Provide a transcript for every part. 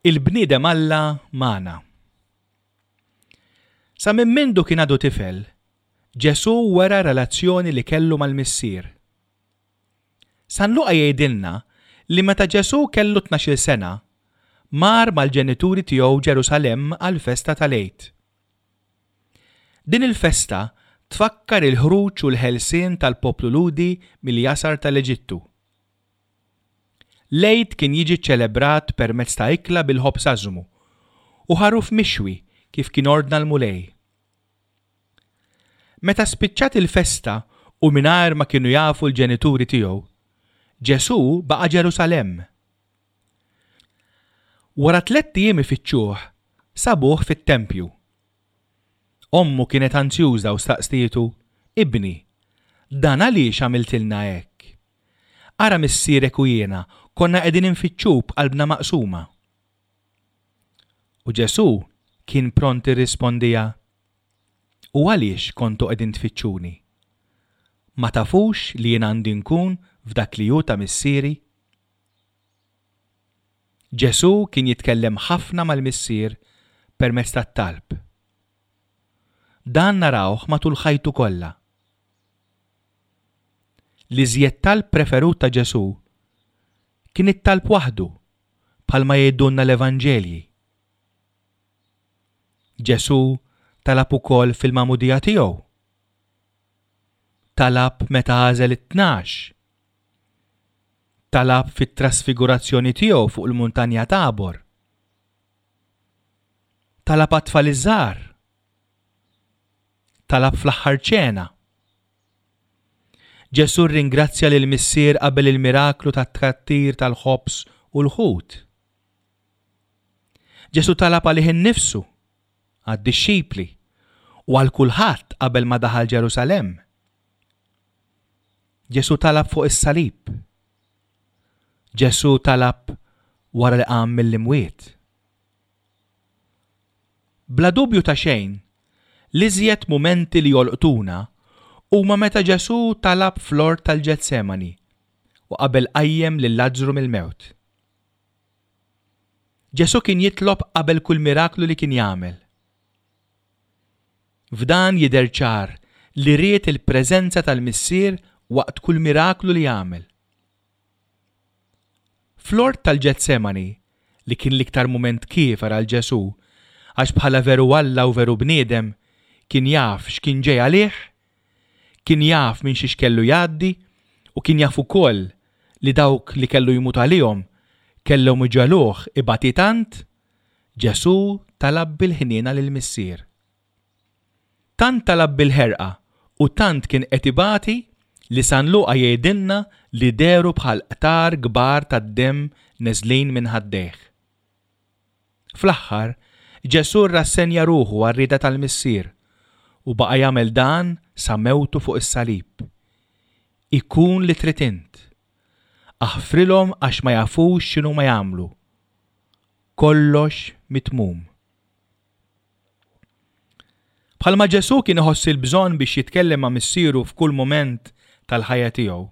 Il-bniedem Alla magħna. Sa minn mindu kien għadu tifel, Ġesù wera relazzjoni li kellu mal-Missier. San Luqa jgħidilna li meta Ġesù kellu tnax-il sena, mar mal-ġenituri tiegħu Ġerusalemm għall-festa tal-Għid. Din il-festa tfakkar il-ħruġ u l-ħelsien tal-poplu Lhudi mill-jasar tal-Eġittu. L-Għid kien jiġi ċċelebrat permezz ta' ikla bil-ħobż ażmu u ħaruf mixwi kif kien ordna l-Mulej. Meta spiċċat il-festa u mingħajr ma kienu jafu l-ġenituri tiegħu, Ġesù baqa' Ġerusalemm. Wara tlett ijiem ifittxuh, sabuh fit-tempju. Ommu kienet anzjuża u staqstietu, Ibni, dan għaliex għamiltilna hekk? Ara missierek u jiena konna qegħdin infittxuk b'qalbna maqsuma. U Ġesù kien pront irrispondiha, U għaliex kontu qegħdin tfittxuni? Ma tafux li jien għandi nkun f'dak li hu ta' Missieri? Ġesù kien jitkellem ħafna mal-Missier permezz tat-talb. Dan narawh matul ħajtu kollha. L-iżjed talb preferut ta' Ġesù kien it-talb waħdu, bħalma jgħidulna l-Evanġelji. Ġesù talab ukoll fil-magħmudija tiegħu. Talab meta għażel it-Tnax. Talab fit-trasfigurazzjoni tiegħu fuq il-muntanja Tabor. Talab għat-tfal iż-żgħar. Talab fl-aħħar ċena. Ġesù rringrazzja lill-Missier qabel il-miraklu tat-tkattir tal-ħobż u l-ħut. Ġesù talab għalih innifsu, għad-dixxipli, u għal kulħadd qabel ma daħal Ġerusalemm. Ġesù talab fuq is-salib. Ġesù talab wara li qam mill-imwiet. Bla dubju ta' xejn, l-iżjed mumenti li jolqtuna huma meta Ġesù talab fl-ort tal-Ġetsemani u qabel qajjem lil Lazzru mill-mewt. Ġesù kien jitlob qabel kull miraklu li kien jagħmel. F'dan jidher ċar li ried il-preżenza tal-Missier waqt kull miraklu li għamel. Fl-ort tal-Ġetsemani, li kien l-iktar mument kiefer għal Ġesù, għax bħala veru Alla u veru bniedem, kien jaf x'kien ġej għalih, kien jaf minn xiex kellu jgħaddi u kien jaf ukoll li dawk li kellu jmut għalihom kellhom iġegħluh ibati tant, Ġesù talab bil-ħniena lill-Missier. Tant talab bil-ħerqa u tant kien qed ibati li San Luqa jgħidilna li dehru bħal qtar kbar tad-demm neżlin minn ħaddejh. Fl-aħħar, Ġesù rrassenja ruħu għar-rieda tal-Missier u baqa' jagħmel dan sa mewtu fuq is-salib. Ikun li trid int. Aħfrilhom għax ma jafux x'inhuma jagħmlu. Kollox mitmum. Bħalma Ġesù kien iħoss il-bżonn biex jitkellem ma' Missieru f'kull mument tal-ħajja tiegħu.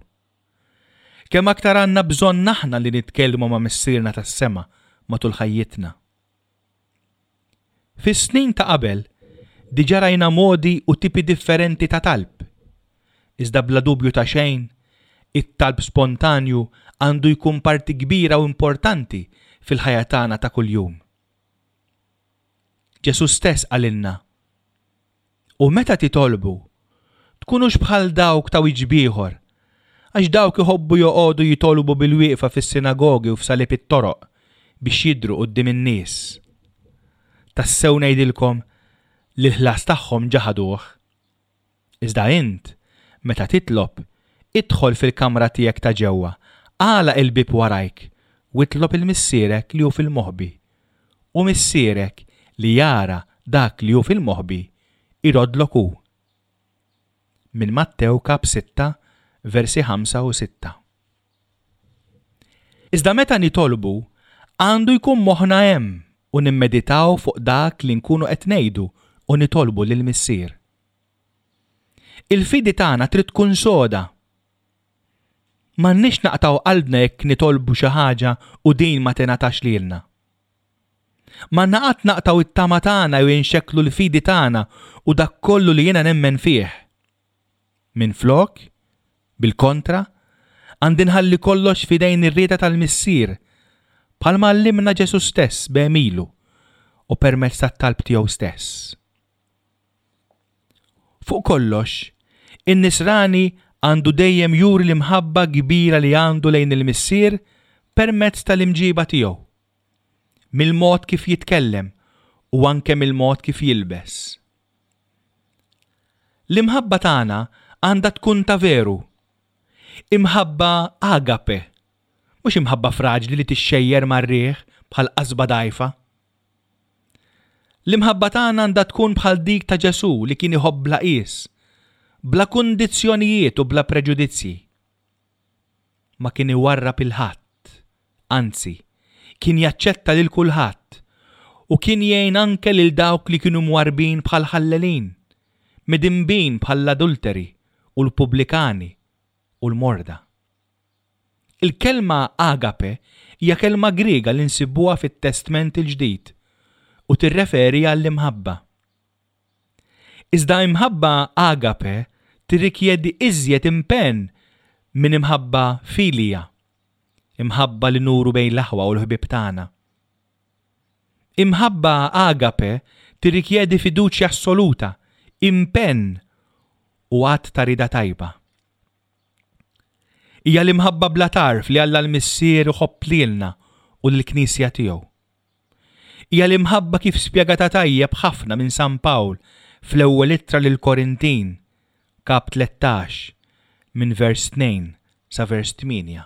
Kemm aktar għandna bżonn aħna li nitkellmu ma' Missierna tas-sema matul ħajjitna. Fis-snin ta' qabel, diġà rajna modi u tipi differenti ta' talb. Iżda bla dubju ta' xejn, it-talb spontanju għandu jkun parti kbira u importanti fil-ħajja tagħna ta' kuljum. Ġesù stess qalilna, U meta titolbu, tkunux bħal dawk ta' wiċċ b'ieħor, għax dawk iħobbu joqogħdu jitolbu bilwieqfa fis-sinagogi u f'salib it-toroq biex jidhru quddiem in-nies. Tassew ngħidilkom li l-ħlas tagħhom ġa ħaduh. Iżda int, meta titlob, idħol fil-kamra tiegħek ta' ġewwa, agħlaq il-bieb warajk, u itlob 'il Missierek li hu fil-moħbi. U Missierek li jara dak li hu fil-moħbi, iroddlok hu. Minn Mattew kap 6, versi 5 u 6. Iżda meta nitolbu, għandu jkun moħħna hemm u nimmeditaw fuq dak li nkunu qed ngħidu u nitolbu lill-Missier. Il-fidi tagħna trid tkun soda. M'għandniex naqtgħu qalbna jekk nitolbu xi ħaġa u din ma tingħatax lilna. M'għandna qatt naqtgħu t-tama tagħna jew inxekklu l-fidi tagħna u dak kollu li jiena nemmen fih. Minflok, bil-kontra, għandi nħalli kollox f'idejn ir-rieda tal-Missier, bħalma għallimna Ġesù stess b'għemilu u permezz tat-talb tiegħu stess. Fuq kollox, in-Nisrani għandu dejjem juri l-imħabba kbira li għandu lejn il-Missier permezz tal-imġiba tiegħu, mill-mod kif jitkellem u anke mill-mod kif jilbes. L-imħabba tagħna għandha tkun ta' veru. Imħabba agape, mhux imħabba fraġli li tixxejjer mar-riħ bħal qasba dgħajfa. L-imħabba tagħna għandha tkun bħal dik ta' Ġesù li kien iħobb bla qies, bla kundizzjonijiet u bla preġudizzji. Ma kien iwarrab 'il ħadd, anzi, kien jaċċetta lil kulħadd u kien jgħin anke lil dawk li kienu mwarrbin bħall-ħallelin, midinbin bħall-adulteri u l-pubblikani u l-morda. Il-kelma agape hija kelma Griega li nsibuha fit-Testment il-Ġdid u tirreferi għall-imħabba. Iżda imħabba agape tirrikjedi iżjed impenn minn imħabba filia, imħabba li nuru bejn l-aħwa u l-ħbieb tagħna. Imħabba agape tirrikjedi fiduċja assoluta, impenn u att ta' rieda tajba. Hija l-imħabba bla tarf li Alla l-Missier iħobb lilna u lill-Knisja tiegħu. Hija l-imħabba kif spjegata tajjeb ħafna minn San Pawl fl-ewwel ittra lill-Korintin, kap 13, minn vers 2 sa vers 8.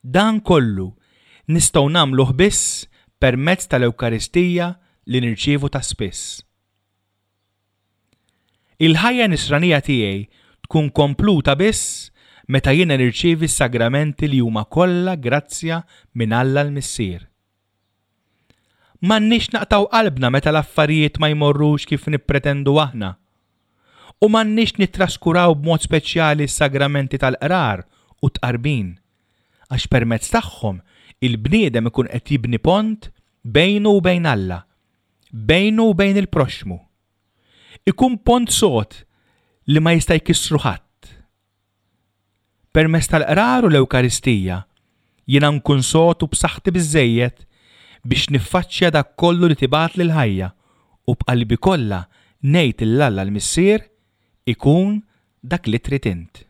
Dan kollu nistgħu nagħmluh biss permezz tal-Ewkaristija li nirċievu ta' spiss. Il-ħajja nisranija tiegħi tkun kompluta biss meta jiena nirċievi s-sagramenti li huma kollha grazzja minn Alla l-Missier. M'għandniex naqtgħu qalbna meta l-affarijiet ma jmorrux kif nippretendu aħna. U m'għandniex nittraskuraw b'mod speċjali s-sagramenti tal-qrar u t-tqarbin, għax permezz tagħhom il-bniedem ikun qed jibni pont bejnu u bejn Alla, bejnu u bejn il-proxxmu. Ikun pont sod li ma jista' jkissru ħadd. Permezz tal-qrar u l-Ewkaristija, jiena nkun sod u b'saħħti biżżejjed biex niffaċċja dak kollu li tibgħatli l-ħajja u b'qalbi kollha ngħid 'l Alla l-Missier, Ikun dak li trid int.